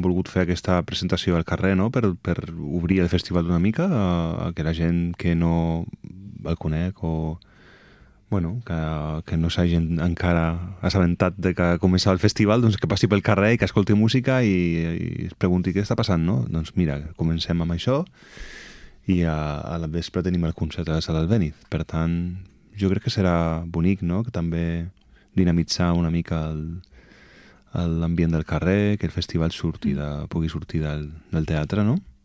volgut fer aquesta presentació al carrer, no?, per obrir el festival d'una mica a que la gent que no el conec o bueno, que no s'hagin encara assabentat de que començava el festival, doncs que passi pel carrer i que escolti música i es pregunti què està passant, no? Doncs mira, comencem amb això i a la vespre tenim el concert a la Sala Albéniz. Per tant, jo crec que serà bonic, no?, que també dinamitzar una mica l'ambient del carrer, que el festival pugui sortir del teatre, no?